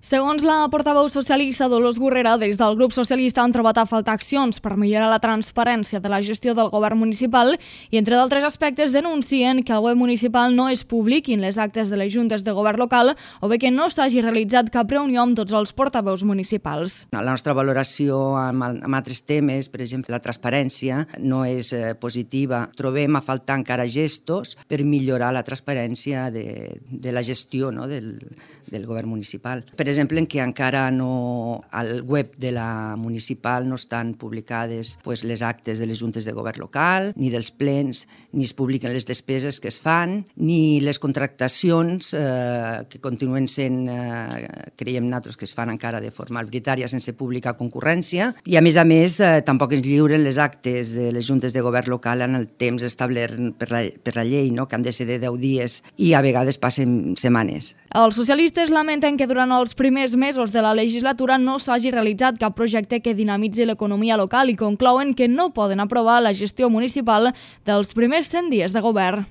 Segons la portaveu socialista Dolors Gurrera, des del grup socialista han trobat a faltar accions per millorar la transparència de la gestió del govern municipal i, entre d'altres aspectes, denuncien que el web municipal no es publiquin les actes de les juntes de govern local o bé que no s'hagi realitzat cap reunió amb tots els portaveus municipals. La nostra valoració amb altres temes, per exemple, la transparència, no és positiva. Trobem a faltar encara gestos per millorar la transparència de la gestió, no, del govern municipal. Per exemple, en què encara no, al web de la municipal no estan publicades les actes de les juntes de govern local, ni dels plens, ni es publiquen les despeses que es fan, ni les contractacions que continuen sent, creiem nosaltres, que es fan encara de forma arbitrària sense pública concurrència, i a més, tampoc ens lliuren les actes de les juntes de govern local en el temps establert per la llei, no? Que han de ser de 10 dies i a vegades passen setmanes. Els socialistes lamenten que durant els primers mesos de la legislatura no s'hagi realitzat cap projecte que dinamitzi l'economia local i conclouen que no poden aprovar la gestió municipal dels primers 100 dies de govern.